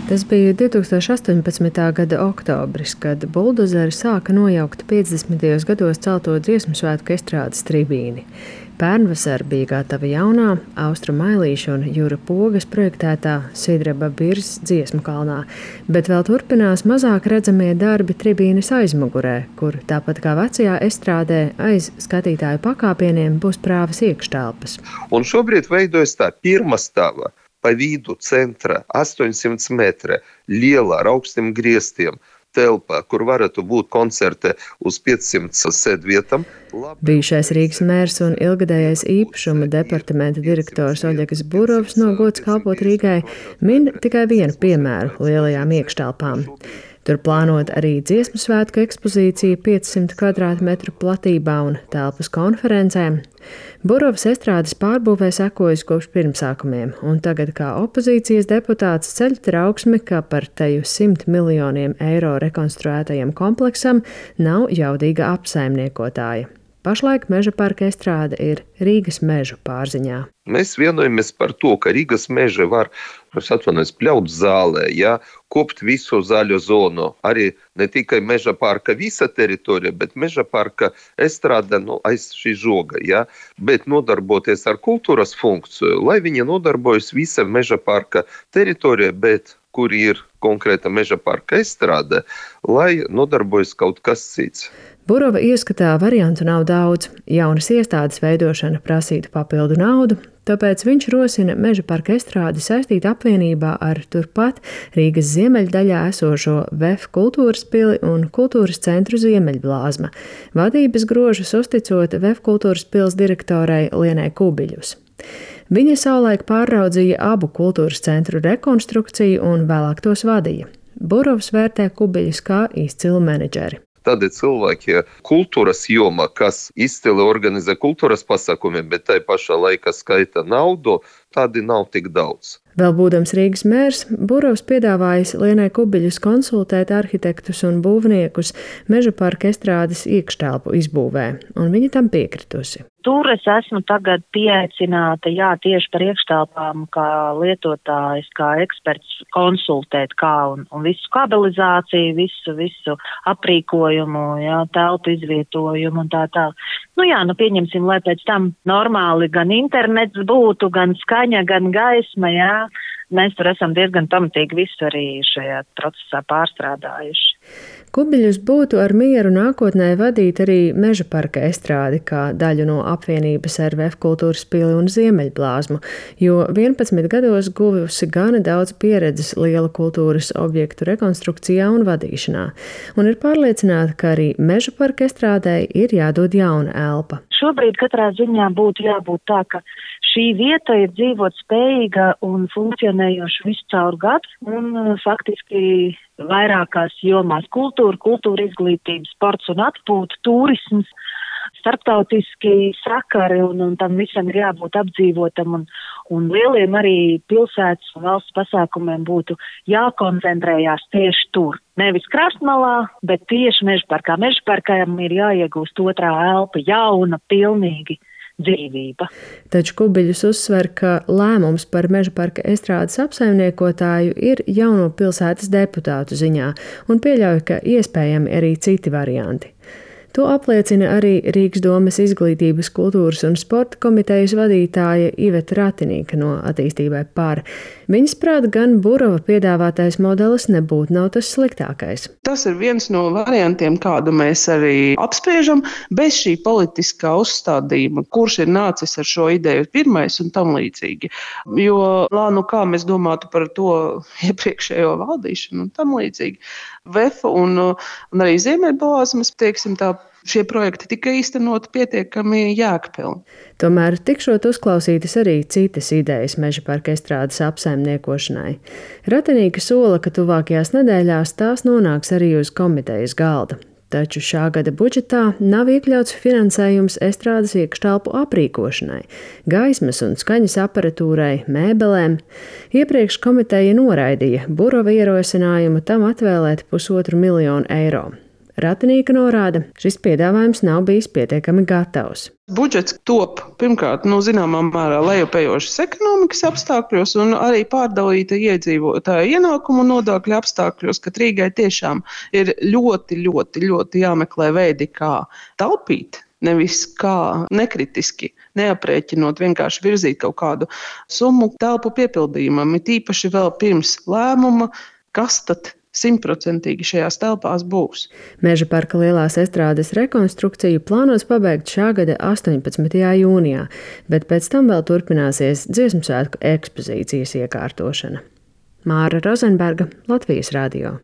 Tas bija 2018. gada oktobris, kad buldozeri sāka nojaukt 50. gados celto dziesmu svētku estrādes tribīni. Pērnvasar bija gatava jaunā Austrumu Mailīša un Jura Pogas projektētā Sidraba Birzs dziesmu kalnā, bet vēl turpinās mazāk redzamie darbi tribīnes aizmugurē, kur tāpat kā vecajā estrādē aiz skatītāju pakāpieniem būs prāvas iekštelpas. Un šobrīd veidojas tā pirmā stāva pa vidu centra 800 metri liela ar augstiem griestiem telpa, kur varētu būt koncerti uz 500 sēdvietām. Bijušais Rīgas mērs un ilgadējais īpašuma departamenta direktors Oļegs Burovs no gods kalpot Rīgai min tikai vienu piemēru lielajām iekštelpām. Tur plānot arī dziesmu svētku ekspozīcija 500 kvadrātmetru platībā un telpas konferencēm. Burovs estrādes pārbūvē sekojas kopš pirmsākumiem, un tagad kā opozīcijas deputāts ceļ trauksmi, ka par teju 100 miljoniem eiro rekonstruētajam kompleksam nav jaudīga apsaimniekotāja. Pašlaik Meža parka estrāde ir Rīgas mežu pārziņā. Mēs vienojamies par to, ka Rīgas meži var pļaut zālē, kopt visu zaļo zonu. Arī ne tikai Meža parka visa teritorija, bet Meža parka estrāde aiz šī žoga. Bet nodarboties ar kultūras funkciju, lai viņi nodarbojas visa Meža parka teritorija, bet kur ir konkrēta Meža parka estrāde, lai nodarbojas kaut kas cits. Burova ieskatā variantu nav daudz. Jaunas iestādes veidošana prasītu papildu naudu, tāpēc viņš rosina Meža parka estrādi saistīt apvienībā ar turpat Rīgas ziemeļdaļā esošo VEF kultūras pili un kultūras centru Ziemeļblāzma. Vadības grožus uzticot VEF kultūras pils direktorai Lienai Kubiļus. Viņa savulaik pārraudzīja abu kultūras centru rekonstrukciju un vēlāk tos vadīja. Burovs vērtē Kubiļus kā izcilu menedžeri. Tādi cilvēki kultūras jomā, kas izcili organizē kultūras pasākumiem, bet tai pašā laikā skaita naudu, tādi nav tik daudz. Vēl būdams Rīgas mērs, Burovs piedāvājis Lienai Kubiļus konsultēt arhitektus un būvniekus Meža parka estrādes iekštelpu izbūvē, un viņa tam piekritusi. Tur es esmu tagad pieaicināta, tieši par iekštelpām, kā lietotājs, kā eksperts konsultēt, kā un visu kabelizāciju, visu aprīkojumu, telpu izvietojumu un tā. Pieņemsim, lai pēc tam normāli gan internets būtu, gan skaņa, gan gaisma, Mēs tur esam diezgan pamatīgi visu arī šajā procesā pārstrādājuši. Kubiļus būtu ar mieru nākotnē vadīt arī Meža parka estrādi kā daļu no apvienības ar VEF kultūras pili un Ziemeļblāzmu, jo 11 gados guvusi gana daudz pieredzes lielu kultūras objektu rekonstrukcijā un vadīšanā, un ir pārliecināta, ka arī Meža parka estrādei ir jādod jauna elpa. Šobrīd katrā ziņā būtu jābūt tā, ka šī vieta ir dzīvot spējīga un funkcionējoša visu caur gadu un faktiski vairākās jomās - kultūra izglītība, sports un atpūta, turisms, starptautiski sakari un tam visam ir jābūt apdzīvotam un lieliem arī pilsētas un valsts pasākumiem būtu jākoncentrējās tieši tur. Nevis krastmalā, bet tieši Meža parkā. Meža parkām ir jāiegūst otrā elpa, jauna, pilnīgi dzīvība. Taču Kubiļus uzsver, ka lēmums par Meža parka estrādes apsaimniekotāju ir jauno pilsētas deputātu ziņā un pieļauj, ka iespējami arī citi varianti. To apliecina arī Rīgas domes izglītības, kultūras un sporta komitejas vadītāja Iveta Ratinīka no Attīstībai par. Viņas prāt gan Burova piedāvātais modelis nebūtu nav tas sliktākais. Tas ir viens no variantiem, kādu mēs arī apspriežam, bez šī politiskā uzstādījuma, kurš ir nācis ar šo ideju pirmais un tam līdzīgi. Jo, kā mēs domātu par to iepriekšējo valdīšanu un tam līdzīgi. VEF un arī Ziemeļblāzmas, šie projekti tika īstenoti pietiekami jēgpilni. Tomēr tikšot uzklausītas arī citas idejas Meža parka estrādes apsaimniekošanai. Ratinīka sola, ka tuvākajās nedēļās tās nonāks arī uz komitejas galda. Taču šā gada budžetā nav iekļauts finansējums estrādes iekštelpu aprīkošanai, gaismas un skaņas aparatūrai, mēbelēm. Iepriekš komiteja noraidīja Burova ierosinājumu tam atvēlēt 1,5 miljonu eiro. Ratinīka norāda, šis piedāvājums nav bijis pietiekami gatavs. Budžets top pirmkārt, zināmā mērā lejupējošas ekonomikas apstākļos un arī pārdalīta iedzīvotāju ienākumu nodokļu apstākļos, ka Rīgai tiešām ir ļoti jāmeklē veidi, kā taupīt. Nevis kā nekritiski, neaprēķinot, vienkārši virzīt kaut kādu summu telpu piepildījumam, it īpaši vēl pirms lēmuma, kas tad 100% šajās telpās būs. Meža parka lielās estrādes rekonstrukciju plānos pabeigt šā gada 18. jūnijā, bet pēc tam vēl turpināsies Dziesmu svētku ekspozīcijas iekārtošana. Māra Rozenberga, Latvijas radio.